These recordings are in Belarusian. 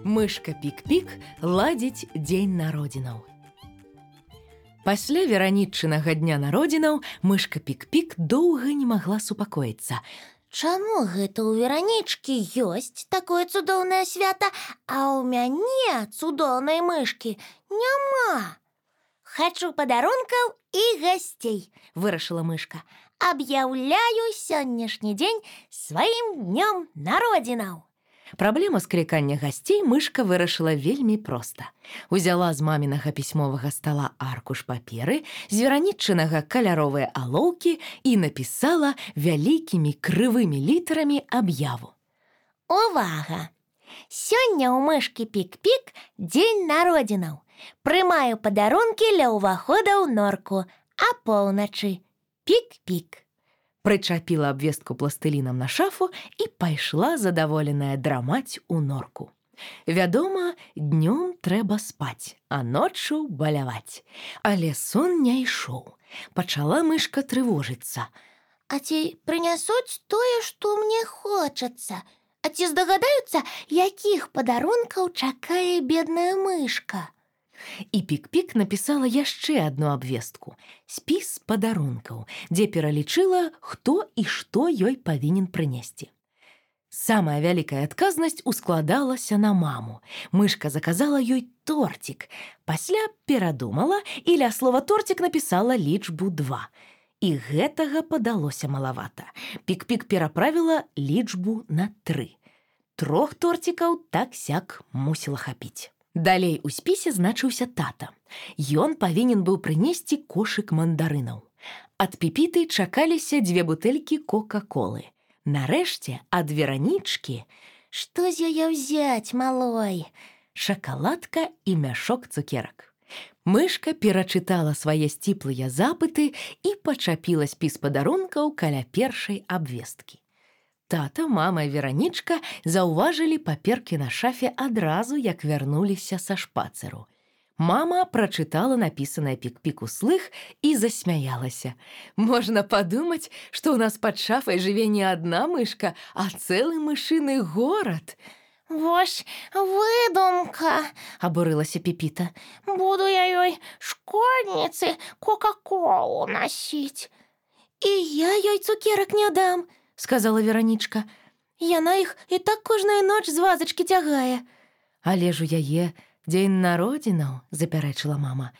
Мышка Пік-Пік ладзіць дзень народзінаў. Пасля веранічнага дня народзінаў мышка Пік-Пік доўга не магла супакоіцца. Чаму гэта ў Веранічкі ёсць такое цудоўнае свята, а ў мяне цудоўнай мышкі няма? Хачу падарункаў і гасцей, вырашыла мышка. Аб'яўляю сённяшні дзень сваім днём народзінаў. Праблему склікання гасцей мышка вырашыла вельмі проста. Узяла з мамінага пісьмовага стала аркуш паперы, з веранічнага каляровыя алоўкі і напісала вялікімі крывымі літарамі аб'яву. Увага! Сёння ў мышкі Пік-Пік дзень народзінаў. Прымаю падарункі ля ўвахода ў норку, а поўначы Пік-Пік. Прычапіла абвестку пластылінам на шафу і пайшла задаволеная драмаць у норку. Вядома, днём трэба спаць, а ноччу баляваць. Але сон не ішоў. Пачала мышка трывожыцца. А ці прынясуць тое, што мне хочацца? А ці здагадаюцца, якіх падарункаў чакае бедная мышка? І Пік-Пік напісала яшчэ адну абвестку – спіс падарункаў, дзе пералічыла, хто і што ёй павінен прынесці. Самая вялікая адказнасць ускладалася на маму. Мышка заказала ёй тортик. Пасля перадумала і ля слова тортик напісала лічбу 2. І гэтага падалося малавата. Пік-Пік пераправіла лічбу на 3. 3 тортикаў так-сяк мусіла хапіць. Далей у спісе значыўся тата. Ён павінен быў прынесці кошык мандарынаў. Ад Піпіты чакаліся 2 бутэлькі кока-колы. Нарэшце, ад Веранічкі... Што з яе ўзяць, малой? Шакаладка і мяшок цукерак. Мышка перачытала свае сціплыя запыты і пачапіла спіс падарункаў каля першай абвесткі. Тата, мама і Веранічка заўважылі паперкі на шафе адразу, як вярнуліся са шпацыру. Мама прачытала напісанае Пік-Пік услых і засмяялася. Можна падумаць, што ў нас пад шафай жыве не адна мышка, а цэлы мышыны горад. Вось выдумка, абурылася Піпіта. Буду я ёй школьніцы кока-колу насіць. І я ёй цукерак не дам, сказала Веранічка. Яна іх і так кожную ноч з вазачкі цягае. Але ж у яе дзень народзінаў, запярэчыла мама.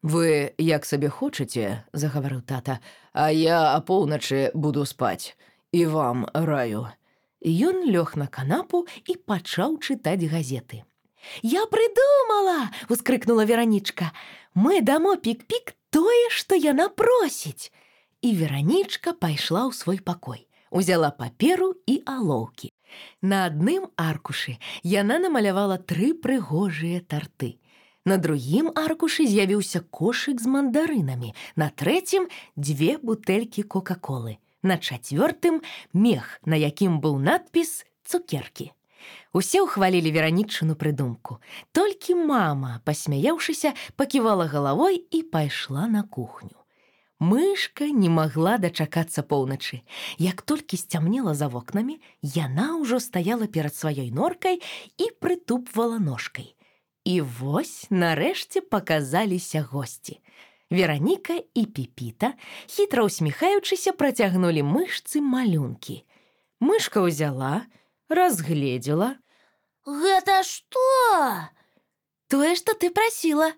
Вы як сабе хочаце, загаварыў тата, а я апоўначы буду спаць. І вам раю. Ён лёг на канапу і пачаў чытаць газеты. Я прыдумала, ускрыкнула Веранічка. Мы дамо Пік-Пік тое, што яна просіць. І Веранічка пайшла ў свой пакой. Узяла паперу і алоўкі. На адным аркушы яна намалявала 3 прыгожыя тарты. На другім аркушы з'явіўся кошык з мандарынамі. На трэцім 2 бутэлькі кока-колы. На 4 мех, на якім быў надпіс «Цукеркі». Усе ўхвалілі Веранічыну прыдумку. Толькі мама, пасмяяўшыся, паківала галавой і пайшла на кухню. Мышка не магла дачакацца поўначы. Як толькі сцямнела за вокнамі, яна ўжо стаяла перад сваёй норкай і прытупвала ножкай. І вось, нарэшце, паказаліся госці. Вераніка і Піпіта, хітра ўсміхаючыся, працягнулі мышцы малюнкі. Мышка ўзяла, разгледзела. Гэта што? Тое, што ты прасіла.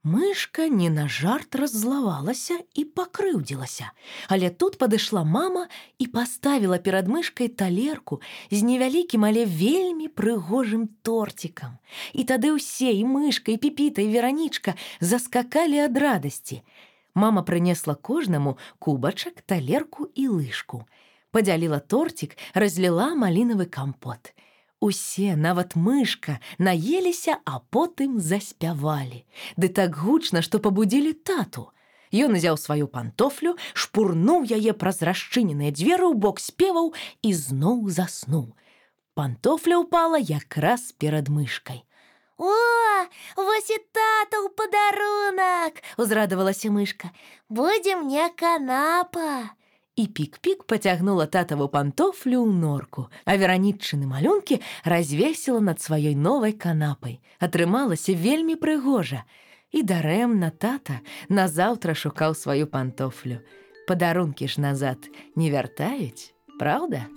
Мышка не на жарт раззлавалася і пакрыўдзілася. Але тут падышла мама і паставіла перад мышкай талерку з невялікім, але вельмі прыгожым тортикам. І тады ўсе, і мышка, і Піпіта, і Веранічка заскакалі ад радасці. Мама прынесла кожнаму кубачак, талерку і лыжку. Падзяліла тортик, разліла малінавы кампот. Усе, нават мышка, наеліся, а потым заспявалі. Ды так гучна, што пабудзілі тату. Ён узяў сваю пантофлю, шпурнуў яе праз расчыненыя дзверы ў бок спеваў і зноў заснуў. Пантофля ўпала якраз перад мышкай. О, вось і татаў падарунак, узрадавалася мышка. Будзе мне канапа. І Пік-Пік пацягнула татаву пантофлю ў норку, а Вераніччыны малюнкі развесіла над сваёй новай канапай. Атрымалася вельмі прыгожа. І дарэмна тата назаўтра шукаў сваю пантофлю. Падарункі ж назад не вяртаюць, праўда?